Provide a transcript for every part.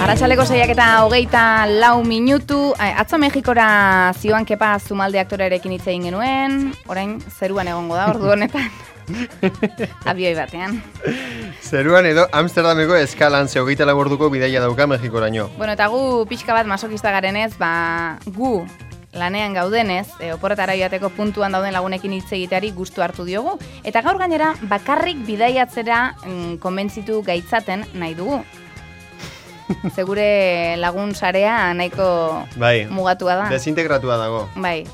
Arratsaleko 6:24 atzo Mexikora zioan Kepa Zumalde aktorearekin hitz egin genuen, orain zeruan egongo da ordu honetan. Abioi batean. Zeruan edo Amsterdameko eskalan 24 orduko bidaia dauka Mexikoraino. Bueno, eta gu pixka bat masokista garenez, gu lanean gaudenez, oporretara joateko puntuan dauden lagunekin hitz egiteari gustu hartu diogu, eta gaur gainera bakarrik bidaiatzera konbentzitu gaitzaten nahi dugu. Segure lagun sarea nahiko mugatua da. Desintegratua dago. Bai.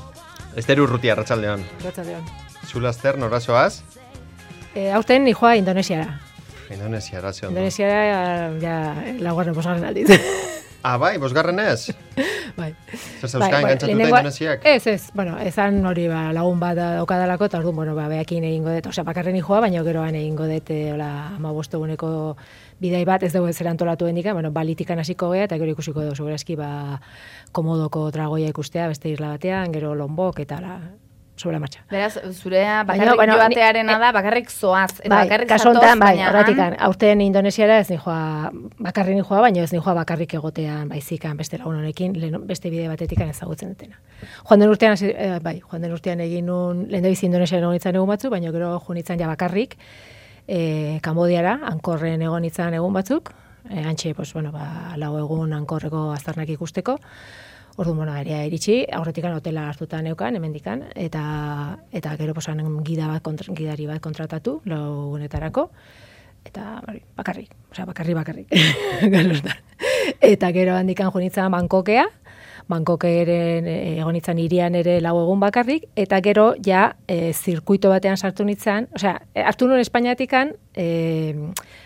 Ester Urrutia, arratsaldeon. Arratsaldeon. Zulaster, norazoaz? Aurten nijoa Indonesiara. Indonesiara, ze ondo. Indonesiara, laugarren bosgarren aldiz. Bai, bosgarren ez? Bai. Zer zauzkain gantzatuta Indonesiak? Ez, bueno, ezan hori lagun bat daukadalako, eta orduan, behakin egingo dut, bakarren nijoa, baina geroan egingo dut, 15 eguneko bidai bat, ez dugu ez erantolatu hendikan, balitikan hasiko gea, eta gero ikusiko dugu, segurazki, komodoko tragoia ikustea, beste isla batean, gero Lombok, eta sobre la marcha. Beraz, zurea bakarrik joatearena da, bakarrik zoaz, eta bakarrik zatoz, baina... Horratikan, aurten Indonesiara ez nijoa, bakarrik nijoa, baina ez nijoa bakarrik egotean, baizikan, beste lagun honekin, beste bide batetikan ezagutzen dutena. Joan den urtean egin nun, lehen dabiz Indonesiaren egon itzan egun batzu, baina gero joan itzan ja bakarrik, Kambodiara, Angkorren egon itzan egun batzuk, antxe, lau egun Angkorreko aztarnak ikusteko. Orduan, area iritsi, aurretikan hotela hartuta neukan, hemendikan, eta gero gidari bat kontratatu, laugunetarako, eta bakarrik. Eta gero handikan jonitzan Bangkokeren egonitzan hirian ere lau egun bakarrik, eta gero ja zirkuito batean sartu nitzan, hartu nun Espainiatikan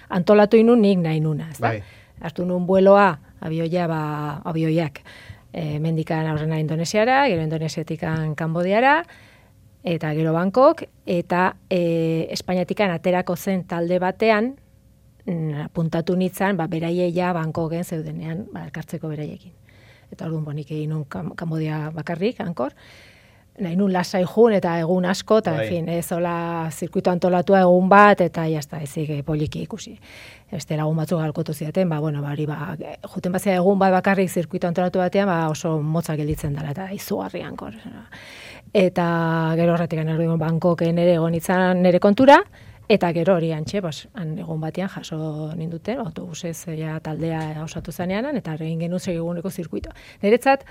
antolatu inun nik nahi nuna, ez da? Hartu nun vueloa, abioiak, mendikan aurrena Indonesiara, gero Indonesiatikan Kambodiara, eta gero Bangkok, eta Espainiatikan aterako zen talde batean, puntatu nitzan, beraieia Bangkoken zeudenean, elkartzeko beraiekin. Eta orduan bonik egin nun Kambodia bakarrik, Angkor, nahi nun lasai jun eta egun asko, eta ez hola zirkuito antolatua egun bat, eta jazta, ezik poliki ikusi. Beste lagun batzuk galkotu zidaten, juten bazia egun bat bakarrik zirkuito antolatu batean, oso motza gelditzen dela, eta izugarri Angkor. Eta gero horretik anerduen Bangkoken ere egon itzan nere kontura, eta gero hori antxe, egun batean jaso ninduten, autobusez taldea osatu zanean, eta egin genuen segiguneko zirkuito. Niretzat,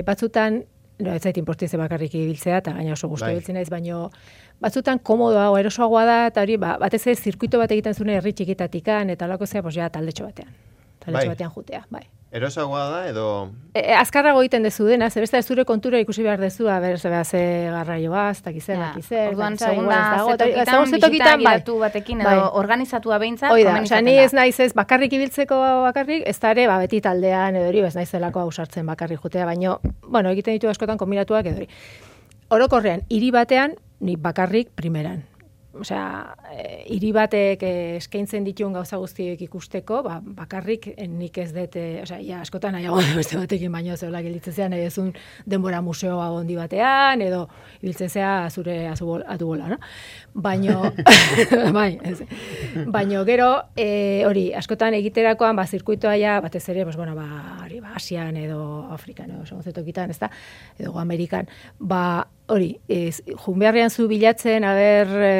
batzutan, ez zait inportize bakarrik ibiltzea, eta gaina oso gustu ibiltzen naiz, baina batzutan komodoa, erosoagoa da, eta hori, batez ez zirkuito bat egiten zuen herri txikitatikan, eta lako zea, taldetxo batean. Taldetxo batean jutea, bai. Erosoagoa da, edo... Azkarrago egiten dezu dena, zebesta zure kontura ikusi behar dezu, ze garraioa, ez dakizer, orduan, segunda zetokitan gidatu batekin, edo organizatua behintzat, komenizatzen da. Ni ez naiz ez bakarrik ibiltzeko bakarrik, ez da ere, beti taldean, edo hori, ez naizelako ausartzen bakarrik jutea, baina, egiten ditu askotan kombinatuak, edo hori. Orokorrean, hiri batean, ni bakarrik primeran. Hiri batek eskaintzen dituen gauza guztiek ikusteko, bakarrik nik ez dut, askotan nahiago beste batekin baino zeola gelditzen zean, nahi ezun denbora museoa gondi batean, edo ibiltzen zea zure atubola, no? Baino, baino gero, hori, askotan egiterakoan, zirkuitoa batez ere, Asian edo Afrikan, edo segozetokitan, ez da, edo Amerikan, hori, jun beharrean zu bilatzen,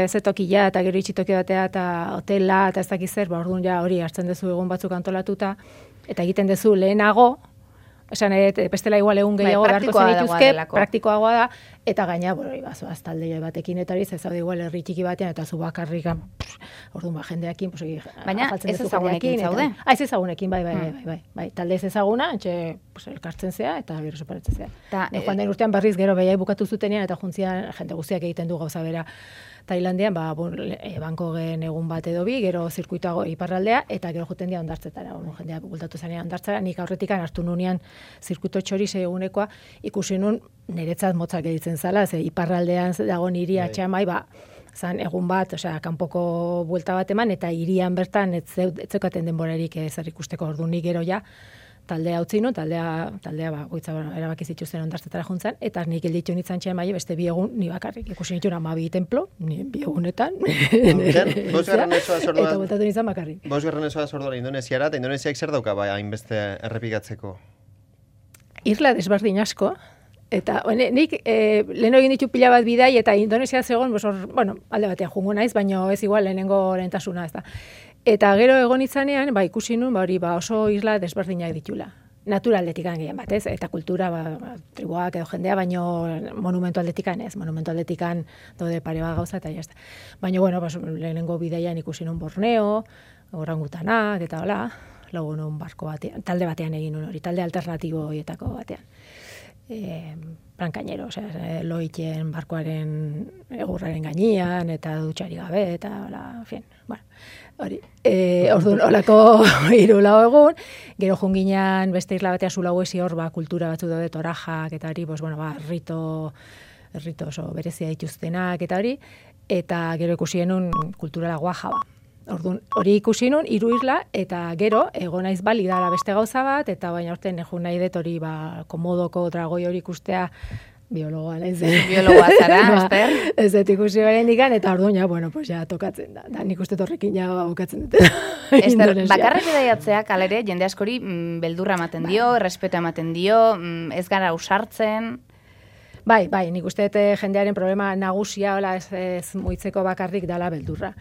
zetokila eta gero itxitoki batea eta hotela eta ez dakiz zer, orduan hori hartzen dezu egun batzuk antolatuta eta egiten dezu lehenago, esan bestela igual egun gehiago beharko zenituzke, praktikoagoa da, eta gaina, zoaz talde batekin eta hori, ez zaude igual herri txiki batean eta zu bakarrikan, orduan jendeakin, baina ez ezagunekin zaude? Ez ezagunekin, bai, talde ez ezaguna, elkartzen zea eta gero separatzen zea. Joan den urtean berriz gero behiai bukatu zutenean eta juntzian jende guztiak egiten du gauza bera Tailandian, Bangkoken egun bat edo bi, gero zirkuitoago iparraldea, eta gero juten dia ondartzetara, jendea bultatu zanean ondartzara, nik aurretikan hartu nunean zirkuito txori egunekoa, ikusi nun niretzat motzak editzen zala, iparraldean dago niri atxamai, zan egun bat, kanpoko buelta bat eman, eta hirian bertan ez zeukaten denborarik zer ikusteko ordu nik gero ja, taldea utzi nun, taldea goitza erabaki zituzten ondartetara juntzan, eta nik gelditu nintzen txen bai, beste 2 egun ni bakarrik. Ikusi nituen 12 templo, ni 2 egunetan. Eta botatu nintzen bakarrik. 5. sorduan Indonesiara, eta Indonesiak zer dauka bai hainbeste errepikatzeko? Irla desberdin asko, eta nik leheno egin ditu pila bat bidai, eta Indonesia zegoen, alde batean jungo naiz, baina ez igual lehentasuna ez da. Eta gero egon itzanean, ikusi nun, oso isla desberdinak ditula. Naturaldetik gehien bat, ez? Eta kultura, tribuak edo jendea, baino monumentu aldetikan ez. Monumentu aldetikan daude pare bat gauza, eta jazta. Baina, lehenengo bidaian ikusi nun Borneo, orangutanak, eta hola, logo nun barko batean, talde batean egin nun hori, talde alternatibo horietako batean. Brankainero, loiten barkoaren egurraren gainean, eta dutxari gabe, eta hola, hori. Orduan, holako 3 egun, gero junginan beste isla batean Sulawesi hor, kultura batzu daude, torajak, eta hori, rito oso berezia dituztenak, eta hori, eta gero ikusi genuen kulturala Guajaba. Orduan, hori ikusi nun, 3 isla, eta gero, egon naiz Bali dala beste gauza bat, eta baina orten egun nahi dut hori, komodoko dragoi hori ikustea, biologoa naiz. Biologoa zara, Ester? Ez dut ikusi garen dikan, eta orduan, ja tokatzen da. Nik uste torrekin ja bukatzen dute. Ester, bakarrik bidaiatzeak alere, jende askori beldurra ematen dio, errespeta ematen dio, ez gara usartzen. Bai, nik uste dut jendearen problema nagusia, ez muitzeko bakarrik dala beldurra.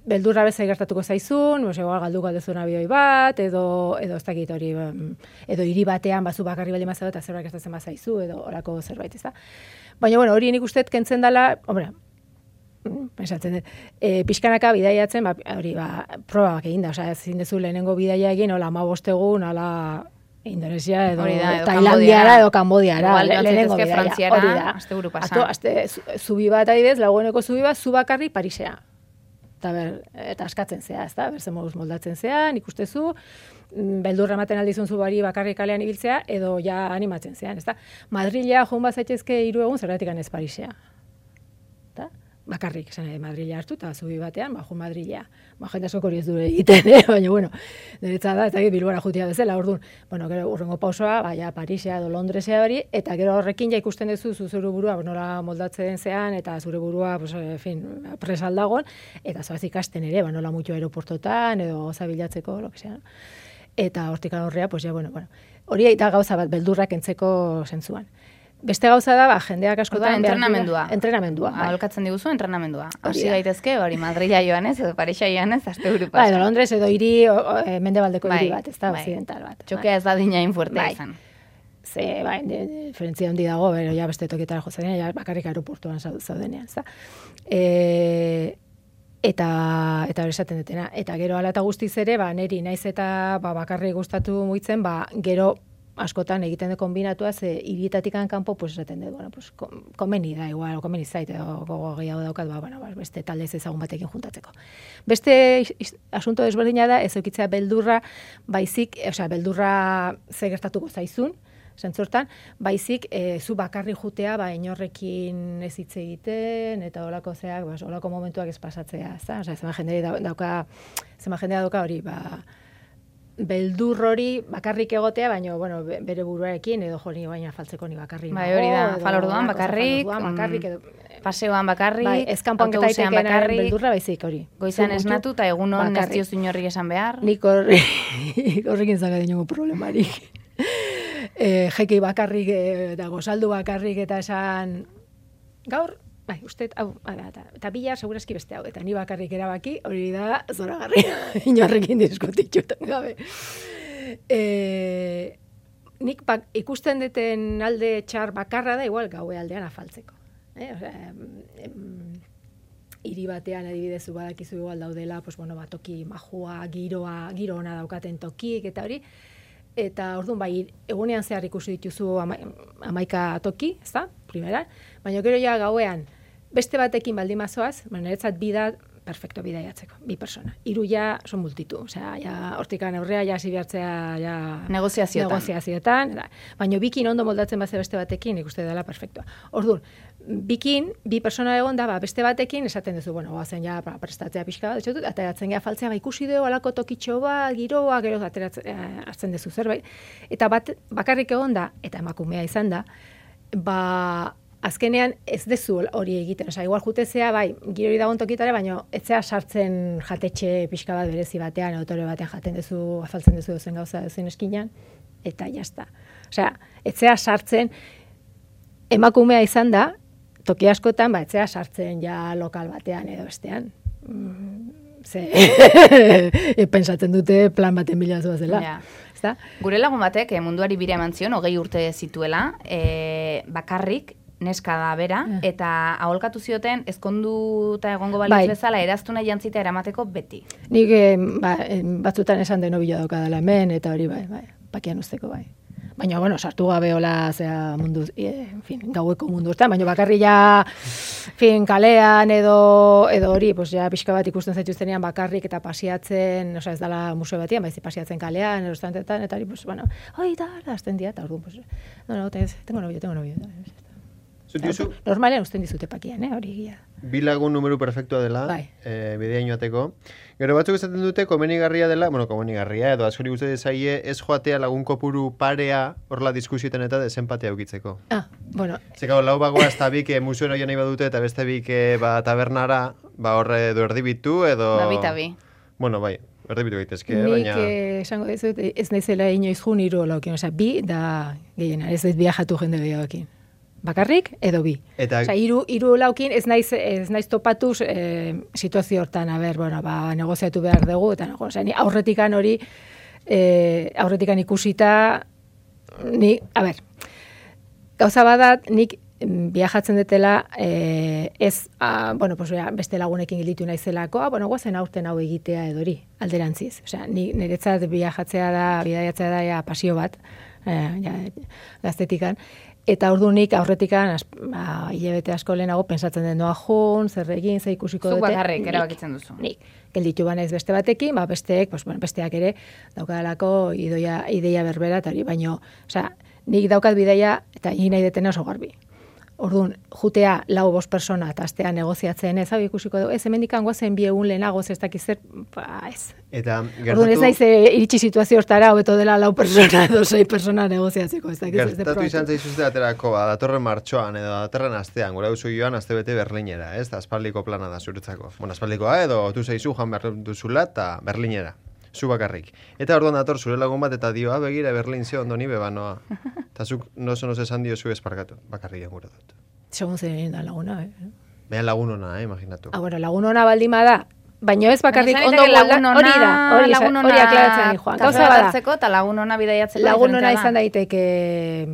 Beldurra bezai gertatuko zaizun, galduko aldezun abioi bat, edo ez dakit hori, edo hiri batean bazu bakarri baldin mazau eta zerbait gertatzen bazaizu, edo orako zerbait, ez da. Baina, hori nik uste kentzen dela, pensatzen dut, pixkanaka bidaiatzen, hori, probak egin da, ezin dezu lehenengo bidaia egin, 15 egun, Indonesia edo Tailandiara edo Kambodiara, lehenengo bidaia, hori da. Asteburu pasa. Zubi bat adibidez, lagueneko zubi bat, zu bakarri Parisea. Eta askatzen zea, ez da, berzen moduz moldatzen zea, nik ustezu, beldurra ematen aldizun zubari bakarrik kalean ibiltzea, edo ja animatzen zean, ez da. Madrilea joan bazaitezke 3 egun, zergatik ez Parisea. Bakarrik, Madrilea hartu, eta zubi batean, joan Madrilea. Jende asko hori ez dure egiten, baina, niretzat da, eta Bilbora jutia bezala, orduan, gero urrengo pausoa, Parisea edo Londresea hori, eta gero horrekin ja ikusten duzu zure burua, nola moldatzen zean, eta zure burua, presaldagon, eta zoaz ikasten ere, nola mutu aeroportotan, edo goza bilatzeko, lo que sea. Eta hortik horrea, hori eta gauza bat, beldurrak entzeko zentzuan. Beste gauza da, jendeak askotan... Entrenamendua. Entrenamendua. Aholkatzen diguzu, entrenamendua. Hasi gaitezke, hori Madrila joanez, edo Parisa joanez, asteburu pasa. Edo Londres, edo hiri, mendebaldeko hiri bat, ez da, occidental bat. Txokea ez da dinain fuertea izan. Ze, diferentzia handi dago, bero, ja beste tokietara jozadenean, ja bakarrik aeroportuan zaudenean, ez da. Eta hori esaten dutena. Eta gero ala eta guztiz ere, neri naiz eta bakarrik gustatu muitzen, gero askotan egiten de kombinatua, ze hirietatik kanpo, esaten dut, komeni da, igual, komeni zait, gogo gehiago daukat, beste talde ez ezagun batekin juntatzeko. Beste asunto desberdina da, ez eukitzea beldurra, baizik, beldurra ze gertatuko zaizun, zentzortan, baizik, zu bakarri jutea, inorrekin ez hitz egiten, eta holako zeak, holako momentuak ez pasatzea, ez da? Zema jendea dauka hori, beldur hori bakarrik egotea, baina bere buruarekin edo jori baina faltzeko ni bakarrik. Hori da, falorduan bakarrik, paseoan bakarrik, autobusean bakarrik, beldurra baizik hori. Goizan esnatu eta egunon ez diozu inorrik esan behar. Nik horrekin zaga dinongo problemarik. Jekei bakarrik, eta gozaldu bakarrik, eta esan gaur, uste, eta bila segurazki beste hau, eta ni bakarrik erabaki, hori da zoragarri, inorrekin diskutitxutan gabe. Nik ikusten deten alde txar bakarra da, igual gaue aldean afaltzeko. Hiri batean adibidezu badakizu igual daudela, toki majua, giro ona daukaten tokik, eta hori, eta orduan egunean zehar ikusi dituzu 11 toki, ez da, primera, baina gero ja gauean beste batekin baldin mazoaz, niretzat bida perfecto bidaiatzeko, 2 persona. 3 ja son multitu, osea, ja hortikan aurrea ja hasi behartzea ja negoziazioetan, baina bikin ondo moldatzen baze beste batekin, ikuste dela perfectoa. Orduan, bikin 2 persona egon da, beste batekin esaten duzu, bueno, goazen ja prestatzea pixka bat, etxotut, ateratzen ja faltzea, ikusi dugu alako tokitxo bat, giroa, gero hartzen duzu zerbait. Eta bakarrik egon da, eta emakumea izan da, azkenean ez dezu hori egiten, osea, igual jutezea, bai, girori dagoen tokitare, baina etzea sartzen jatetxe pixka bat berezi batean, autore batean jaten duzu, afaltzen duzu zen gauza zen eskinan, eta jazta. Osea, etzea sartzen, emakumea izan da, toki askotan, etzea sartzen ja lokal batean edo bestean. Pentsatzen dute plan baten bila zuazela. Ja. Gure lagun batek munduari bira eman zion, 20 urte zituela, bakarrik, neska da bera, eta aholkatu zioten ezkonduta egongo balitz bezala eraztuna jantzita eramateko beti. Nik batzutan esan deno bila daukadala hemen, eta hori pakian usteko bai. Baina, bueno, sartu gabe hola, zera mundu, gaueko mundu ezta, baina bakarri ja, kalean edo hori, pues ja pixka bat ikusten zaituztenean bakarrik eta pasiatzen, oza, ez dala museo batian, baizi pasiatzen kalean, edo estantetan, eta hori, pues, bueno, oi, da, azten dia, eta orduan, pues, no, tengo novio. Normalean usten dizute pakian, hori egia. 2 lagun numeru perfektua dela, bideain joateko. Gero batzuk esaten dute komenigarria dela, komenigarria edo askori guzti zaie ez joatea lagun kopuru parea horla diskusietan eta desempatea eukitzeko. Bueno. Zeka, lau bagoa ez tabik musuen oia nahi badute eta beste bik tabernara, horre edo erdibitu edo... Bi. Bueno, bai, erdibitu gaitezke, baina... Nik esango dizut, ez naizela inoiz jun 3 laukin, osea, 2 da gehiena, ez viajatu jende gehiagokin. Bakarrik edo 2. Osea, 3 laukin ez naiz topatuz situazio hortan, negoziatu behar dugu, eta osea, ni aurretikan hori, aurretikan ikusita, gauza badat, nik viajatzen detela, beste lagunekin gilditu naizelako, guazen aurten hau egitea edo hori, alderantziz. Osea, niretzat bidaiatzea da pasio bat, gaztetikan, eta ordunik aurretikan hilabete asko lehenago pensatzen den noa jun, zer egin, zer ikusiko dute. Zuk bakarrik erabakitzen duzu. Nik, gelditu banaiz beste batekin, besteak ere daukadalako ideia berbera, eta hori, baino, nik daukat bidaia eta egin nahi detena oso garbi. Orduan, jutea 4-5 persona eta astea negoziatzen ez, hau ikusiko dugu, ez hemendikan goazen 2 egun lehenago ez dakiz zer, ez. Eta orduan ez naiz iritsi situazio hortara, hobeto dela 4 persona edo 6 persona negoziatzeko, ez dakiz ez de probatu. Gertatu izan zaizuzte aterako, datorren martxoan edo datorren astean, gura duzu joan astebete Berlinera, ez? Aspaldiko plana da zuretzako. Bueno, aspaldikoa edo tu zaizu joan behar duzula eta Berlinera. Zu bakarrik. Eta orduan dator zure lagun bat eta dio, begira Berlin ze ondo ni bebanoa. Eta zuk noso esan dio zu esparkatu. Bakarrik gura dut. Segun zen da laguna, Behan lagun ona, imaginatu. Lagun ona baldin bada, baina ez bakarrik ondo hori aklaratzen joan. Gauza badatzeko eta lagun ona bidaiatzeko. Lagun ona izan daiteke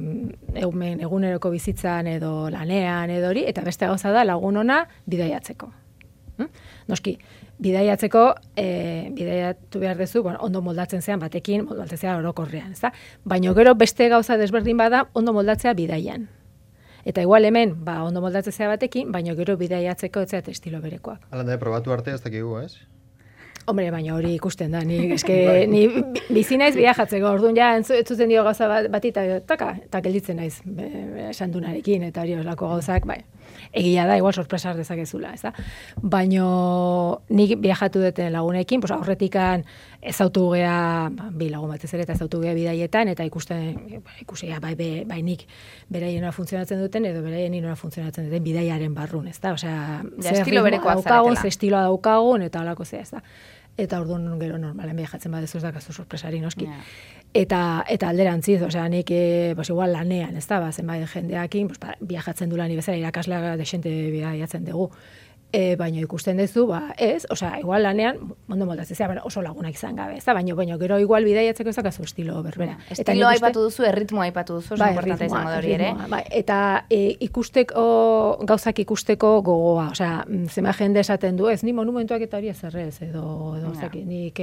eguneroko bizitzan edo lanean edo hori, eta beste gauza da lagun ona bidaiatzeko. Noski, bidaiatzeko, bidaiatu behar dezu, ondo moldatzen zean batekin, moldatzen zean orokorrean, ez da? Baina gero beste gauza desberdin bada, ondo moldatzea bidaian. Eta igual hemen, ondo moldatzen zea batekin, baina gero bidaiatzeko ez zeat estilo berekoak. Alanda, probatu arte ez dakigu, ez? Hombre, baina hori ikusten da, ni bizi naiz viajatzeko, orduan ja entzuten dio gauza bati eta gelditzen naiz esan dunarekin, eta hori olako gauzak, egia da, igual sorpresar dezakezula, ez da? Baina nik viajatu duten lagunekin, aurretikan ezautu gea, 2 lagun batez ere, eta ezautu gea bidaietan, eta ikusia, bai nik beraien nora funtzionatzen duten, edo beraien nora funtzionatzen duten bidaiaren barrun, ez da? Osea, estilo berekoak zaretela. Estiloa daukagun, eta holako zea, ez da? Eta orduan gero normalen viajatzen badezu ez dakazu sorpresari noski. Yeah. Eta alderantziz, osea, nik igual lanean, ez da, zenbait jendeakin, viajatzen du lani bezala, irakasleak desente bidaiatzen dugu. Baina ikusten duzu, ez, osea, igual lanean, ondo moldatzen zea, oso lagunak izan gabe, ez da, baina gero igual bidaiatzeko ez dakazu estilo berbera. Estilo aipatu duzu, erritmoa aipatu duzu, oso importante izango da hori ere. Eta gauzak ikusteko gogoa, osea, zema jende esaten du, ez, ni monumentuak eta hori ezerrez, edo nik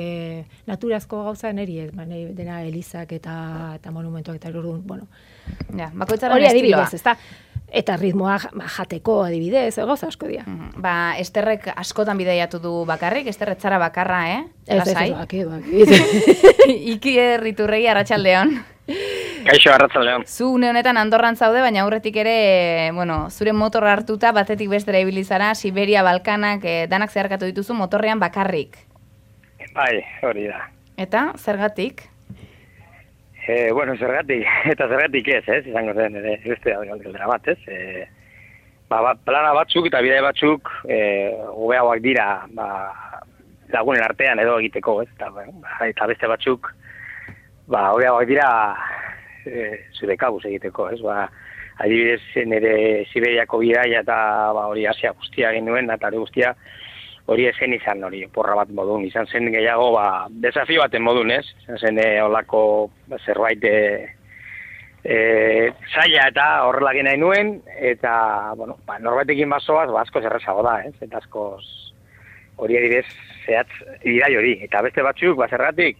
naturazko gauza neri ez, dena elizak eta monumentuak eta orduan, bueno. Bakoitzaren estiloa. Ez da. Eta ritmoa jateko adibidez, gauza asko dira. Ba, Esterrek askotan bidaiatu du bakarrik, Esterrek txara bakarra, Ez, baki. Iki Erriturregi, arratsaldeon. Kaixo, arratsaldeon. Zu une honetan Andorran zaude, baina aurretik ere, zure motorra hartuta batetik bestera ibili zara, Siberia, Balkanak, danak zeharkatu dituzu motorrean bakarrik. Bai, hori da. Eta, zergatik? Zergatik ez, izango zen, beste galdera bat, ez? Plana batzuk eta bidai batzuk hobeagoak dira lagunen artean edo egiteko, ez? Eta beste batzuk hobeagoak dira zure kabuz egiteko, ez? Adibidez, nire Siberiako bidaia eta hori Asia guztia egin nuen, eta hori guztia hori esen izan hori, porra bat modun, izan zen gehiago, desafio baten modun, ez? Izan zen holako zerbait zaila eta horrela nahi nuen, eta, norbaitekin bazoaz, asko zerrezago da, ez? Eta asko hori adibidez zehatz idai hori, eta beste batzuk, zergatik,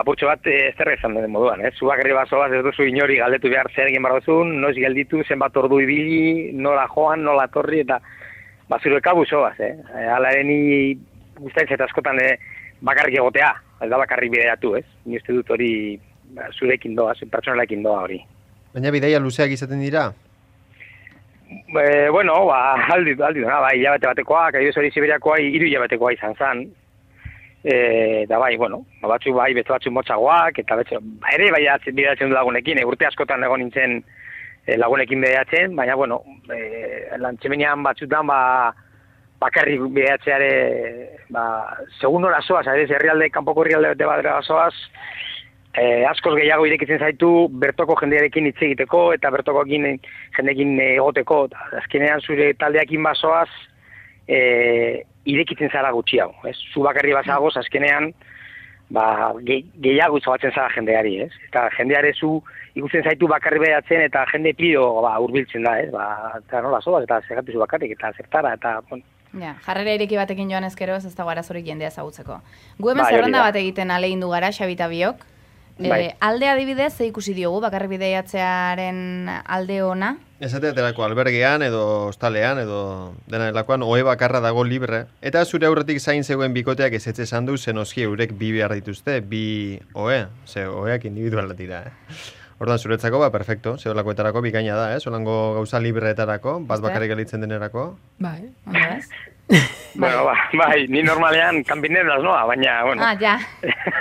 purtsu bat Esterrek izan den moduan, ez? Zu bakarri bazoaz ez duzu inori galdetu behar zer egin behar duzun, noiz gelditu, zenbat ordu ibili, nola joan, nola torri, eta zure kabuzo bat, Hala ere ni gustatzen eta askotan bakarrik egotea, ez da bakarrik bidaiatu, ez? Ni uste dut hori zurekin doa, pertsonalekin doa hori. Baina bidaia luzeak izaten dira? Aldi duna, hilabete batekoa, adibidez hori Siberiakoa 3 hilabetekoa izan zen. Eta batzuk beste batzuk motzagoak, eta ere bidaiatzen du lagunekin, urte askotan egon nintzen lagunekin bidaiatzen, baina, lantxemenean batzutan, bakarrik bidaiatzeare, segun hora zoaz, kanpoko herrialde bete badera zoaz, askoz gehiago irekitzen zaitu, bertoko jendearekin hitz egiteko, eta bertoko jendeekin egoteko, eta azkenean zure taldeakin bazoaz, irekitzen zara gutxiago, ez? Zu bakarri bazagoz, azkenean, gehiago izabatzen zara jendeari, ez? Eta jendeare zu ikusten zaitu bakarri behatzen eta jende pido hurbiltzen da, ez? Eta nola zoaz, eta zergatu zu bakarrik, eta zertara, eta... Ja, jarrera ireki batekin joan ezkero ez dago arazorik jendea ezagutzeko. Gu hemen zerrenda bat egiten alegin du gara, Xabi eta biok. Alde adibidez, ze ikusi diogu, bakarri bidaiatzearen alde ona? Esateaterako albergean edo hostalean edo dena delakoan ohe bakarra dago libre. Eta zure aurretik zain zegoen bikoteak ezetze esan du, zenoski eurek bi behar dituzte, bi ohe, oheak individual dira, Ordan zuretzako, perfecto, zeolakoetarako bikaina da, Solango gauza libreetarako, bat bakarrik gelitzen denerako. Bai, ni normalean kanpineraz noa, baina, ja.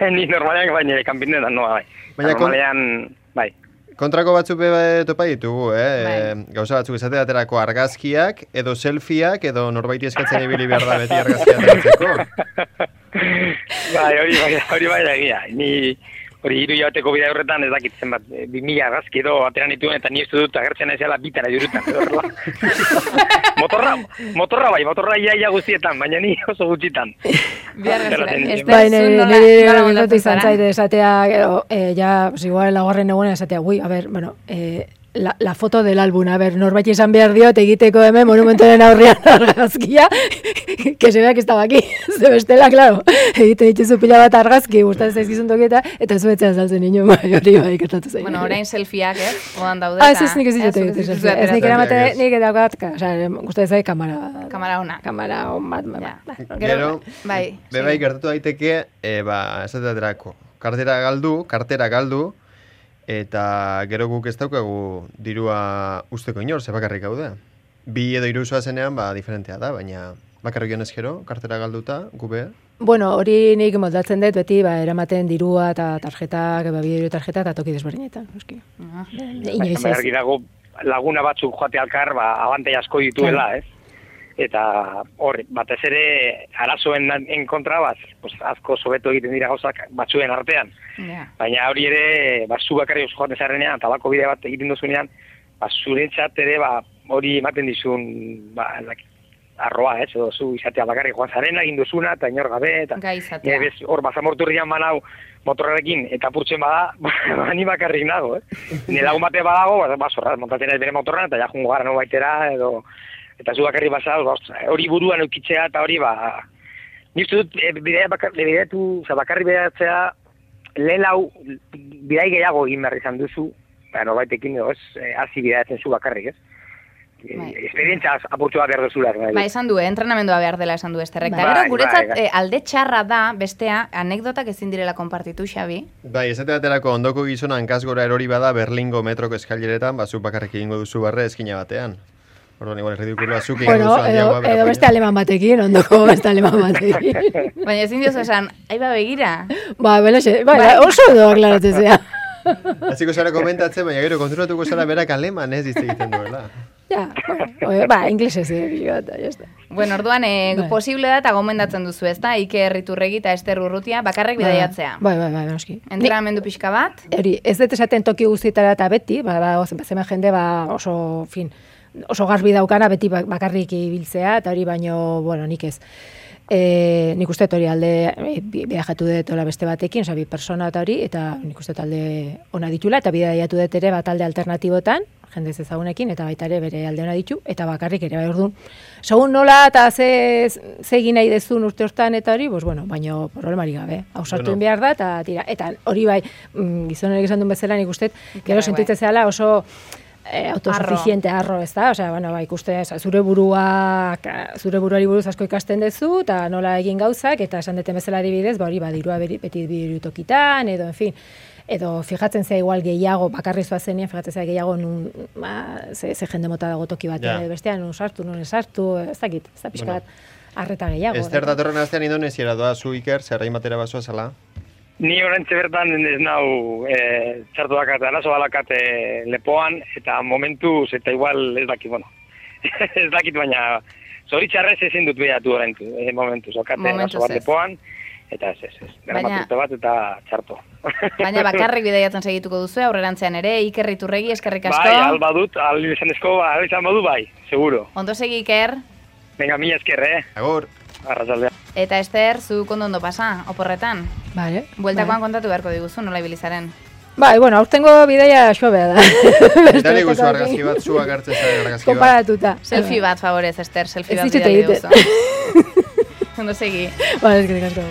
Ni normalean baina kanpineraz noa, bai. Normalean, bai. Kontrako batzuk topa ditugu, Gauza batzuk esateaterako argazkiak, edo selfieak, edo norbaiti eskatzen ibili behar da beti argazkiak eratzeko. Hori bai egia. Ni hori 3 hilabeteko bidea horretan ez dakitzen bat, 2000 argazki edo ateran dituen, eta ni ez dut agertzen naizela bitan ajurutan. Motorra ia guztietan, baina ni oso gutxitan. Nire izan zaite esatea, igual lagorren egunen esatea, la foto del álbum, norbait izan behar diot egiteko hemen monumentoren aurrean argazkia, que se vea que estaba aquí, ze bestela, claro, egiten dituzu pila bat argazki, gustatzen zaizkizun tokieta, eta zu etxean saltzen nino, hori gertatu zain. Orain selfieak, oan daude. Ez nik ez ditut egiten selfie, ez nik eramate, nik edaukat, gustatzen zain kamara ona. Kamara on bat, Gero, bebai gertatu daiteke, esateaterako, kartera galdu, eta gero guk ez daukagu dirua usteko inor, ze bakarrik gaude. 2 edo 3 zoazenean, diferentea da, baina bakarrik jonez gero, kartera galduta, gube. Hori nik moldatzen dut, beti, eramaten dirua eta tarjetak, bideo tarjeta eta toki desberdinetan. Inoiz ez. Dago laguna batzuk joate alkar, abantei asko dituela, ez? Eta horri, batez ere arazoen kontra asko sobeto egiten dira gauzak batzuen artean. Baina hori ere, zu bakarri oso joaten zarrenean, tabako bide bat egiten duzunean, zurentzat ere hori ematen dizun arroa, edo zu izatea bakarri joan zarena, egin duzuna, eta inor gabe, eta hor bazamorturrian banau motorrarekin, eta purtzen bada, ni bakarrik nago, Ni lagun bate badago, montatzen ez bere motorran, eta ja jungo gara no baitera, edo eta zu bakarri basaz, hori buruan eukitzea, eta hori Nik dut, bakarri bidaiatzea, lehen lau, bidai gehiago egin behar izan duzu, norbaitekin edo ez, hasi bidaiatzen zu bakarrik, ez? Esperientzia apurtxo bat erdozula. Esan du, entrenamendua behar dela esan du Esterrek. Eta gero, guretzat, alde txarra da, bestea, anekdotak ezin direla konpartitu, Xabi. Bai, esate baterako ondoko gizona hankasgora erori bada Berlingo metroko eskaileretan, zu bakarrik egingo duzu barre eskina batean. Orduan, igual, ridikuloa zuk egin duzu handiagoa. Edo beste aleman batekin, ondoko beste aleman batekin. Baina ezin diozu esan, aiba begira. Oso edo aklaratzea. Hasiko zara komentatzen, baina gero konturatuko zara berak aleman ez hitz egiten duela. Ja, inglesez eta jazta. Bueno, orduan, posible da eta gomendatzen duzu, ezta? Iker Iturregi eta Ester Urrutia bakarrik bidaiatzea. Bai, noski. Entrenamendu pixka bat? Ez dut esaten toki guztietara eta beti, zemen jende oso garbi daukana beti bakarrik ibiltzea, eta hori baino, nik ez. Nik uste hori alde viajatu dut beste batekin, bi persona eta hori, eta nik uste alde ona ditula, eta bidaiatu dut ere bat alde alternatibotan, jendez ezagunekin, eta baita ere bere alde ona ditu, eta bakarrik ere bai orduan. Segun nola eta ze egin nahi dezun urte hortan eta hori, baino problemari gabe. Hausartuen behar da, eta tira. Eta hori bai, gizonek esan duen bezala nik uste, gero sentitzen zela oso autosuficiente arro, ez da? Osea, ikuste, zure buruari buruz asko ikasten duzu, eta nola egin gauzak, eta esan deten bezala adibidez, hori dirua beti birutokitan, edo, en fin, edo fijatzen zea igual gehiago, bakarri zoazenien, fijatzen zea gehiago ze jende mota dago toki batean, edo bestean, nun sartu, ez dakit, ez da pixka bat arreta gehiago. Ester datorren astean Indonesiara doa zu Iker, zerrain batera basoa zala? Ni orantxe bertan ez nau txartu dakat, arazo balakat lepoan, eta momentuz, eta igual ez dakit, ez dakit, baina zoritxarrez ezin dut behatu orantzu, momentuz, okate arazo bat lepoan, eta ez, dermaturte bat eta txarto. Baina bakarrik bidaiatzen segituko duzu, aurrerantzean ere, Iker Iturregi, eskerrik asko. Bai, alba dut, izan badu bai, seguro. Ondo segi, Iker. Venga, mila esker, Agur. Arrazaldea. Eta Ester, zu ondo pasa, oporretan. Vale. Bueltakoan kontatu beharko diguzu, nola ibilizaren. Aurtengo bidaia xobea da. Eta nik guzu argazki bat, zuak hartzen zaren argazki bat. Komparatuta. Selfie bat, favorez, Ester, selfie bat bidali guzu. Ondo segi. Eskerrik asko.